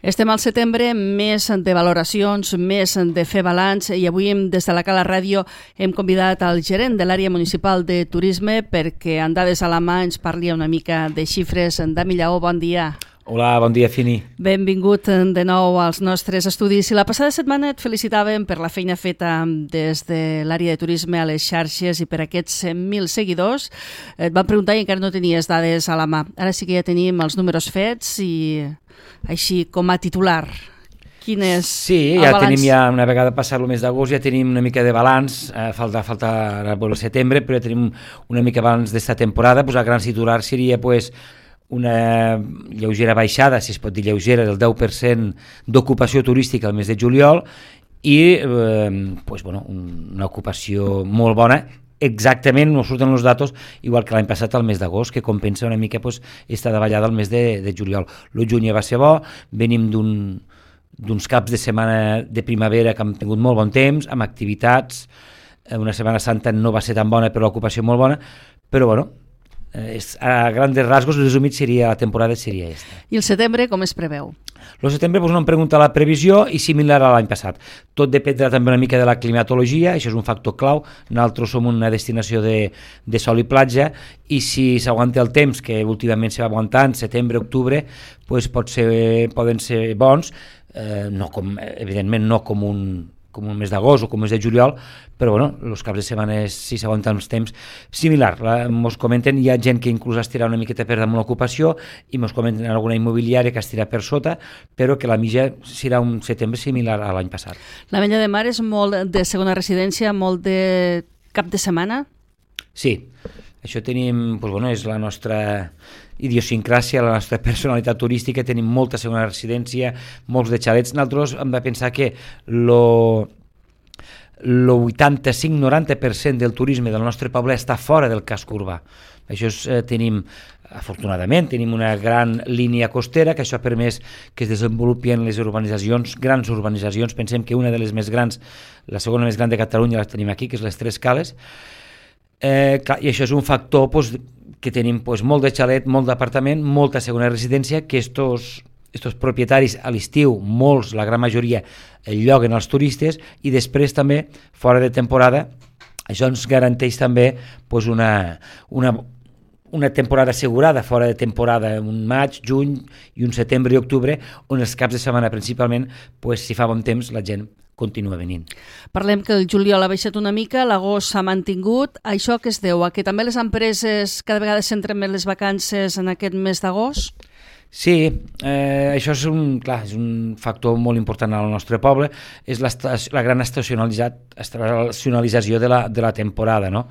Estem al setembre, més de valoracions, més de fer balanç, i avui des de la Cala Ràdio hem convidat al gerent de l'àrea municipal de turisme perquè en dades a la mà ens parli una mica de xifres. Dami Lleó, bon dia. Hola, bon dia, Fini. Benvingut de nou als nostres estudis. I la passada setmana et felicitàvem per la feina feta des de l'àrea de turisme a les xarxes i per aquests 100.000 seguidors. Et van preguntar i encara no tenies dades a la mà. Ara sí que ja tenim els números fets i així com a titular. Quin és el ja balanç? tenim una vegada passat el mes d'agost, ja tenim una mica de balanç, falta ara per el setembre, però ja tenim una mica balanç d'esta temporada. El gran titular seria una lleugera baixada, si es pot dir lleugera, del 10% d'ocupació turística al mes de juliol i una ocupació molt bona. Exactament, no surten els datos, igual que l'any passat al mes d'agost, que compensa una mica esta davallada al mes de juliol. El juny va ser bo, venim d'uns caps de setmana de primavera que han tingut molt bon temps, amb activitats, una Setmana Santa no va ser tan bona, però l'ocupació molt bona, però a grandes rasgos, resumit, la temporada seria aquesta. I el setembre com es preveu? El setembre no em pregunta la previsió i similar a l'any passat. Tot dependrà també una mica de la climatologia, això és un factor clau. Nosaltres som una destinació de sol i platja i si s'aguanta el temps, que últimament se va aguantant, setembre, octubre, poden ser bons, evidentment no com un mes d'agost o com un mes de juliol, però els caps de setmana, si s'aguanten els temps, similar. Ens comenten, hi ha gent que inclús estirà una miqueta per damunt l'ocupació i ens comenten alguna immobiliària que estirà per sota, però que la mitja serà un setembre similar a l'any passat. L'Ametlla de Mar és molt de segona residència, molt de cap de setmana? Sí, això tenim, és la nostra idiosincràsia, la nostra personalitat turística, tenim molta segona residència, molts de xalets. Nosaltres hem de pensar que el 85-90% del turisme del nostre poble està fora del casc urbà. Afortunadament, tenim una gran línia costera, que això ha permès que es desenvolupin les urbanitzacions, grans urbanitzacions. Pensem que una de les més grans, la segona més gran de Catalunya, la tenim aquí, que és les Tres Cales, i això és un factor que tenim molt de xalet, molt d'apartament, molta segona residència, que estos propietaris a l'estiu, molts, la gran majoria, lloguen als turistes i després també, fora de temporada, això ens garanteix també una temporada assegurada, fora de temporada, un maig, juny i un setembre i octubre, on els caps de setmana principalment, si fa bon temps, la gent continua venint. Parlem que el juliol ha baixat una mica, l'agost s'ha mantingut. Això què es deu? A que també les empreses cada vegada centren més les vacances en aquest mes d'agost? Sí, això és un factor molt important al nostre poble, és la gran estacionalització de la temporada, no?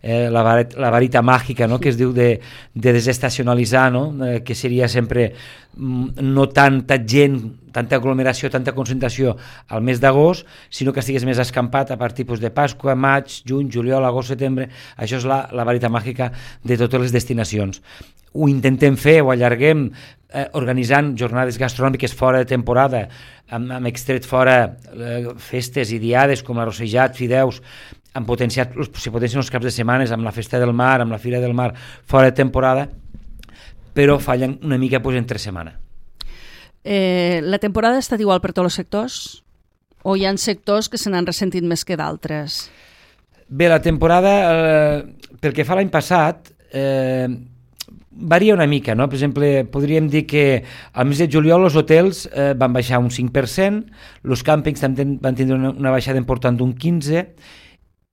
La varita màgica, no? Que es diu de desestacionalitzar, no? Que seria sempre no tanta gent, tanta aglomeració, tanta concentració al mes d'agost, sinó que estigués més escampat a partir de Pasqua, maig, juny, juliol, agost, setembre. Això és la varita màgica de totes les destinacions. Ho intentem fer, ho allarguem, organitzant jornades gastronòmiques fora de temporada, hem extret fora festes i diades com arrossejats, fideus, han potenciat, si potencien els caps de setmanes amb la Festa del Mar, amb la Fira del Mar, fora de temporada, però fallen una mica entre setmana. La temporada ha estat igual per tots els sectors? O hi ha sectors que se n'han ressentit més que d'altres? Bé, la temporada, pel que fa l'any passat, varia una mica, no? Per exemple, podríem dir que al mes de juliol els hotels van baixar un 5%, els càmpings van tindre una baixada important d'un 15%,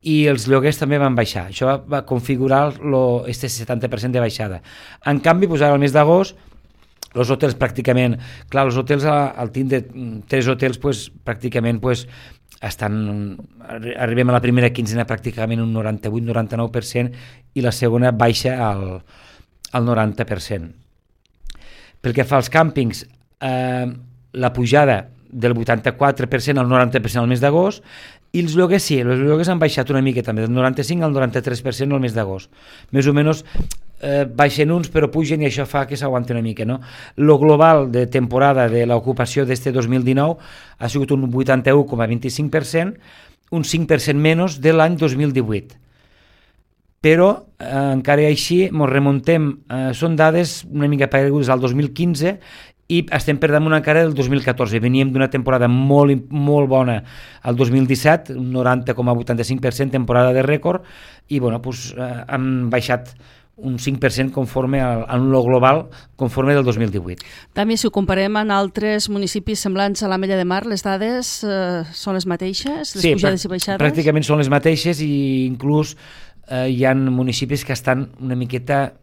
i els lloguers també van baixar. Això va configurar este 70% de baixada. En canvi, ara al mes d'agost, els hotels pràcticament, clar, els hotels al tindre 3 hotels pràcticament arribem a la primera quinzena pràcticament un 98-99% i la segona baixa al 90%. Pel que fa als càmpings, la pujada del 84% al 90% al mes d'agost, i els lloguers sí, els lloguers han baixat una mica també, del 95 al 93% al mes d'agost. Més o menys baixen uns però pugen i això fa que s'aguanti una mica, no? Lo global de temporada de l'ocupació d'este 2019 ha sigut un 81,25%, un 5% menys de l'any 2018. Però encara així ens remuntem, són dades una mica paregudes al 2015 i estem per damunt encara del 2014. Veníem d'una temporada molt, molt bona al 2017, un 90,85% temporada de rècord, i bueno, doncs, han baixat un 5% conforme en lo global conforme del 2018. També, si ho comparem amb altres municipis semblants a l'Ametlla de Mar, les dades són les mateixes? Les pujades i baixades? Pràcticament són les mateixes, i inclús hi ha municipis que estan una miqueta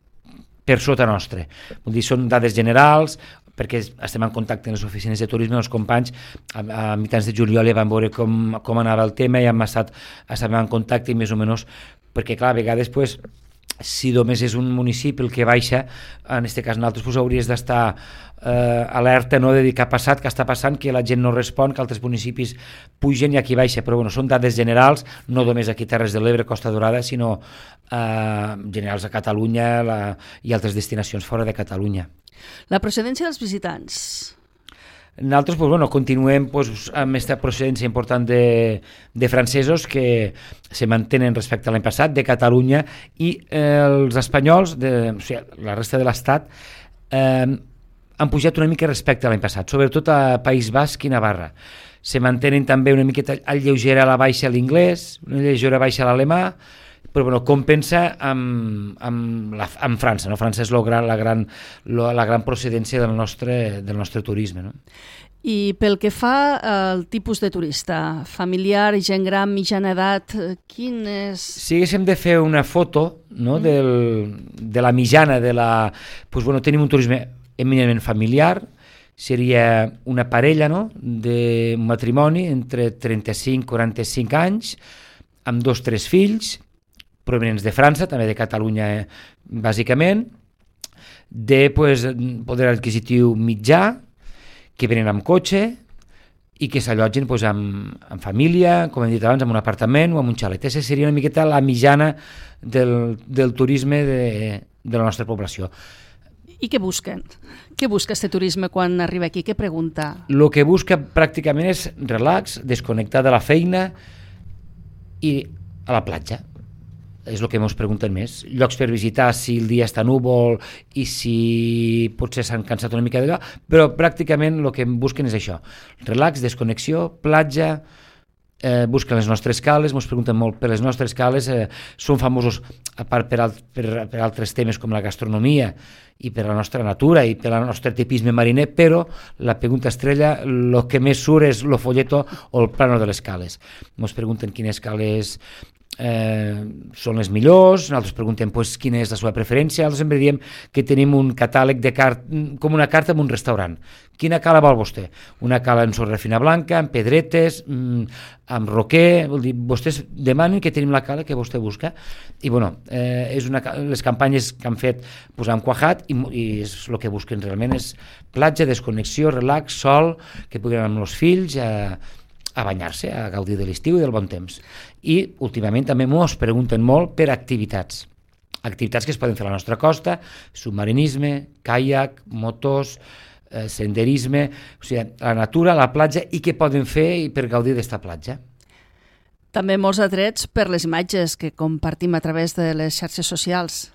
per sota nostre. Vull dir, són dades generals, perquè estem en contacte amb les oficines de turisme, els companys, a mitjans de juliol ja vam veure com anava el tema, i estàvem en contacte i més o menys, perquè clar, a vegades pues, si només és un municipi el que baixa, en aquest cas nosaltres pues, hauries d'estar alerta, no, de dir què ha passat, què està passant, que la gent no respon, que altres municipis pugen i aquí baixa, però bueno, són dades generals, no només aquí Terres de l'Ebre, Costa Dorada, sinó generals a Catalunya i altres destinacions fora de Catalunya. La procedència dels visitants? Nosaltres pues, bueno, continuem pues, amb aquesta procedència important de francesos que se mantenen respecte a l'any passat, de Catalunya, i els espanyols, o sigui, la resta de l'Estat, han pujat una mica respecte a l'any passat, sobretot a País Basc i Navarra. Se mantenen també una miqueta lleugera a la baixa l'inglès, una lleugera baixa a l'alemà, però bueno, compensa amb França. No? França és la gran procedència del nostre turisme. No? I pel que fa al tipus de turista, familiar, gent gran, mitjana edat, quin és? Si haguéssim de fer una foto, no, de la mitjana, pues, bueno, tenim un turisme eminentment familiar, seria una parella, no, d'un matrimoni entre 35 i 45 anys, amb 2 o 3 fills, provenents de França, també de Catalunya, bàsicament, de pues, poder adquisitiu mitjà, que venen amb cotxe i que s'allotgen pues, amb família, com hem dit abans, amb un apartament o amb un xalet. Aquesta seria una miqueta la mitjana del turisme de la nostra població. I què busquen? Què busca aquest turisme quan arriba aquí? Què pregunta? El que busca pràcticament és relax, desconnectar de la feina i a la platja. És el que ens pregunten més. Llocs per visitar si el dia està núvol i si potser s'han cansat una mica d'allò, però pràcticament el que busquen és això. Relax, desconnexió, platja, busquen les nostres cales, ens pregunten molt per les nostres cales, són famosos a part per altres temes com la gastronomia i per la nostra natura i per el nostre tipisme mariner, però la pregunta estrella, el que més surt és el folleto o el plano de les cales. Ens pregunten quines cales són les millors, nosaltres preguntem pues, quina és la seva preferència, nosaltres sempre diem que tenim un catàleg de com una carta en un restaurant. Quina cala vol vostè? Una cala en sorra fina blanca, amb pedretes, amb roquer, vol dir, vostès demanen que tenim la cala que vostè busca, i bueno, les campanyes que han fet pues, han quajat, i és el que busquen realment, és platja, desconnexió, relax, sol, que puguin anar amb els fills a banyar-se, a gaudir de l'estiu i del bon temps. I últimament també ens pregunten molt per activitats que es poden fer a la nostra costa, submarinisme, caiac, motos, senderisme, o sigui, la natura, la platja, i què poden fer per gaudir d'esta platja. També molts atrets per les imatges que compartim a través de les xarxes socials.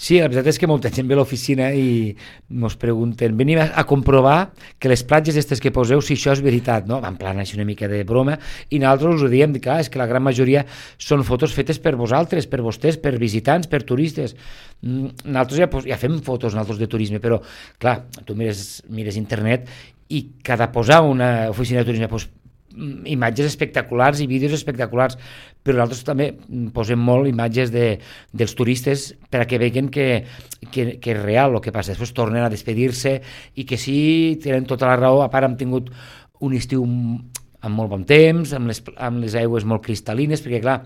Sí, la veritat és que molta gent ve a l'oficina i ens pregunten, venim a comprovar que les platges aquestes que poseu, si això és veritat, no? En plan, així una mica de broma, i nosaltres us ho diem, clar, és que la gran majoria són fotos fetes per vosaltres, per vostès, per visitants, per turistes. Nosaltres ja fem fotos nosaltres de turisme, però, clar, tu mires internet i cada posar una oficina de turisme imatges espectaculars i vídeos espectaculars, però nosaltres també posem molt imatges dels turistes per a que vegin que és real el que passa. Després tornen a despedir-se i que sí, tenen tota la raó. A part hem tingut un estiu amb molt bon temps, amb les aigües molt cristal·lines, perquè clar,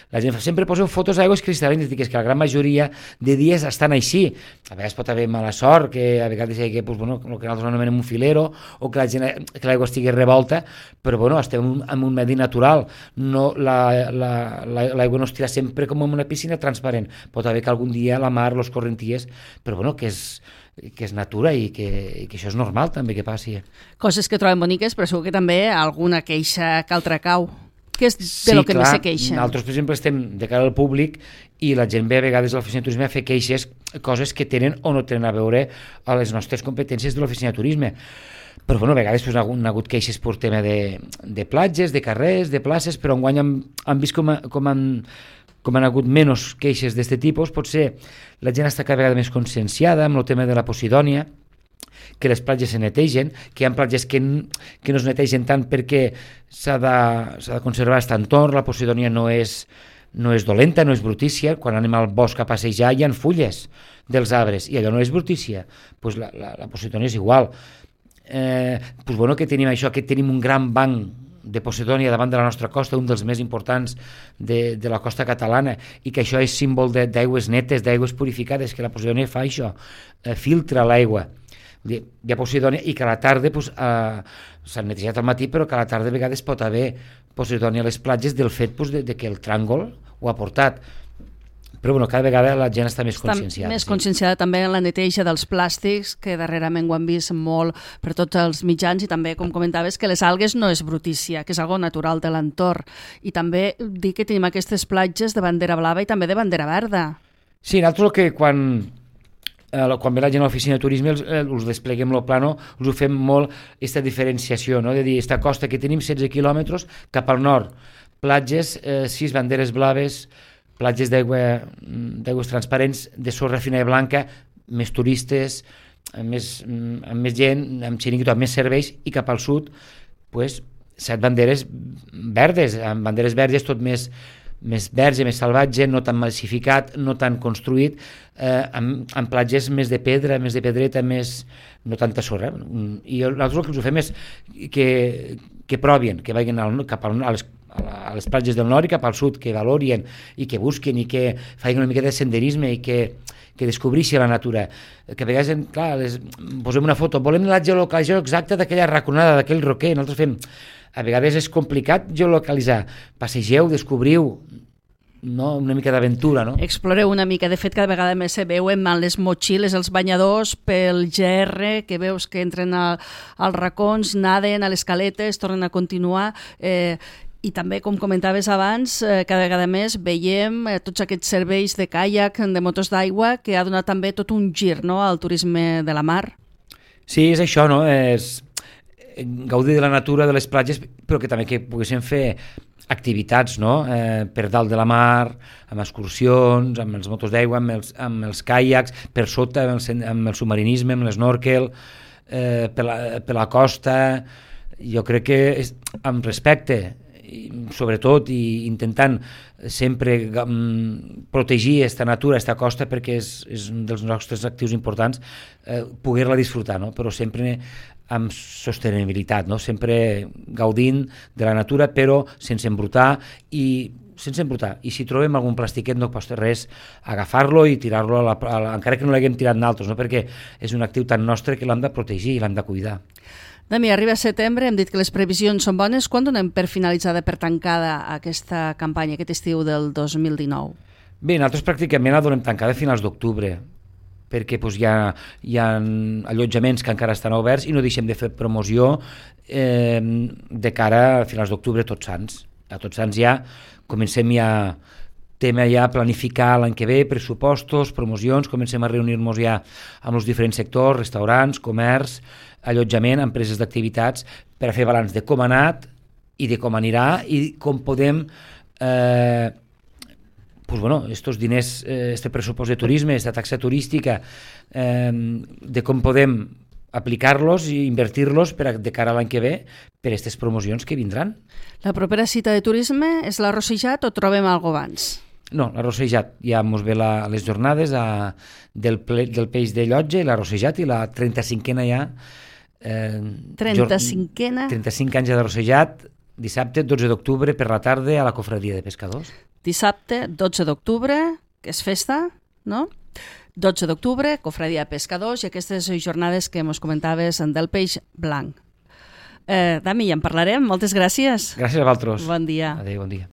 la gent sempre poseu fotos d'aigües cristal·lines, dic, és que la gran majoria de dies estan així. A vegades pot haver mala sort, que a vegades hi ha el que nosaltres anomenem un filero, o que l'aigua estigui revolta, però bueno, estem en un medi natural. No, l'aigua no es tira sempre com en una piscina transparent. Pot haver que algun dia la mar, los correnties, però bueno, que és natura i que això és normal també que passi. Coses que trobem boniques, però segur que també alguna queixa que altra cau. que és de lo que més se queixen. Nosaltres, per exemple, estem de cara al públic i la gent ve a vegades a l'oficina de turisme a fer queixes, coses que tenen o no tenen a veure a les nostres competències de l'oficina de turisme. Però bueno, a vegades hi ha hagut queixes per tema de platges, de carrers, de places, però enguany han vist com han hagut menys queixes d'aquest tipus. Potser la gent està cada vegada més conscienciada amb el tema de la Posidònia, que les platges se netegen, que hi ha platges que no es netegen tant perquè s'ha de conservar aquest entorn. La Posidònia no és dolenta, no és brutícia. Quan anem al bosc a passejar hi ha fulles dels arbres i allò no és brutícia. Pues la Posidònia és igual. Pues bueno, que tenim això, que tenim un gran banc de Posidònia davant de la nostra costa, un dels més importants de la costa catalana, i que això és símbol d'aigües netes, d'aigües purificades, que la Posidònia fa això, filtra l'aigua. Hi ha Posidònia i que a la tarda s'han netejat al matí, però que a la tarda a vegades pot haver Posidònia a les platges del fet de que el tràngol ho ha portat. Però bueno, cada vegada la gent està més conscienciada. Més conscienciada també en la neteja dels plàstics, que darrerament ho han vist molt per tots els mitjans, i també, com comentaves, que les algues no és brutícia, que és algo natural de l'entorn. I també dir que tenim aquestes platges de bandera blava i també de bandera verda. Sí, nosaltres que quan ve la gent a l'oficina de turisme us despleguem el plano, us ho fem molt aquesta diferenciació, no? De dir, aquesta costa que tenim 16 quilòmetres cap al nord, platges, 6 banderes blaves, platges d'aigües transparents, de sorra fina i blanca, més turistes, amb més gent, amb xiringuito, amb més serveis, i cap al sud, pues, 7 banderes verdes, amb banderes verdes tot més verge, més salvatge, no tan massificat, no tan construït, amb platges més de pedra, més de pedreta, no tanta sorra. I nosaltres el que us ho fem és que provin, que vagin cap a les platges del nord i cap al sud, que valorien i que busquen i que facin una mica de senderisme i que descobreixi la natura. Que a vegades, clar, posem una foto, volem la geolocalització exacta d'aquella raconada, d'aquell roquer. Nosaltres fem... A vegades és complicat geolocalitzar. Passegeu, descobriu, no? Una mica d'aventura, no? Exploreu una mica. De fet, cada vegada més se veuen amb les motxilles, els banyadors, pel GR, que veus que entren als racons, naden a les caletes, tornen a continuar... I també, com comentaves abans, cada vegada més veiem tots aquests serveis de caiac, de motos d'aigua, que ha donat també tot un gir, no?, al turisme de la mar. Sí, és això, no? És gaudir de la natura, de les platges, però que també que poguéssim fer activitats, no? Per dalt de la mar, amb excursions, amb els motos d'aigua, amb els caiacs, per sota, amb el submarinisme, amb l'esnorkel, per la costa. Jo crec que amb respecte, sobretot, i intentant sempre protegir aquesta natura, aquesta costa, perquè és un dels nostres actius importants, poder-la disfrutar, no? Però sempre amb sostenibilitat, no? Sempre gaudint de la natura, però sense embrutar, i si trobem algun plastiquet no costa res agafar-lo i tirar-lo encara que no l'haguem tirat nosaltres, no? Perquè és un actiu tan nostre que l'hem de protegir i l'hem de cuidar. Dami, arriba setembre, hem dit que les previsions són bones. Quan donem per finalitzada, per tancada aquesta campanya, aquest estiu del 2019? Bé, nosaltres pràcticament la donem tancada a finals d'octubre, perquè hi ha allotjaments que encara estan oberts i no deixem de fer promoció de cara a finals d'octubre, Tots Sants. A Tots Sants ja comencem a planificar l'any que ve, pressupostos, promocions, comencem a reunir-nos ja amb els diferents sectors, restaurants, comerç, allotjament, empreses d'activitats, per a fer balanç de com ha anat i de com anirà i com podem estos diners, este pressupost de turisme, esta taxa turística, de com podem aplicar-los i invertir-los de cara a l'any que ve per a aquestes promocions que vindran. La propera cita de turisme és la Rossejat o trobem alguna abans? No, la Rossejat, ja mos ve les jornades del peix de Llotja i la Rossejat, i la 35a ja 35a? 35 anys de Rossejat, dissabte 12 d'octubre per la tarda a la Cofradia de Pescadors. Dissabte 12 d'octubre, que és festa, no? 12 d'octubre, Cofradia de Pescadors, i aquestes jornades que ens comentaves del peix blanc. Dami, ja en parlarem. Moltes gràcies. Gràcies a vosaltres. Bon dia. Adéu, bon dia.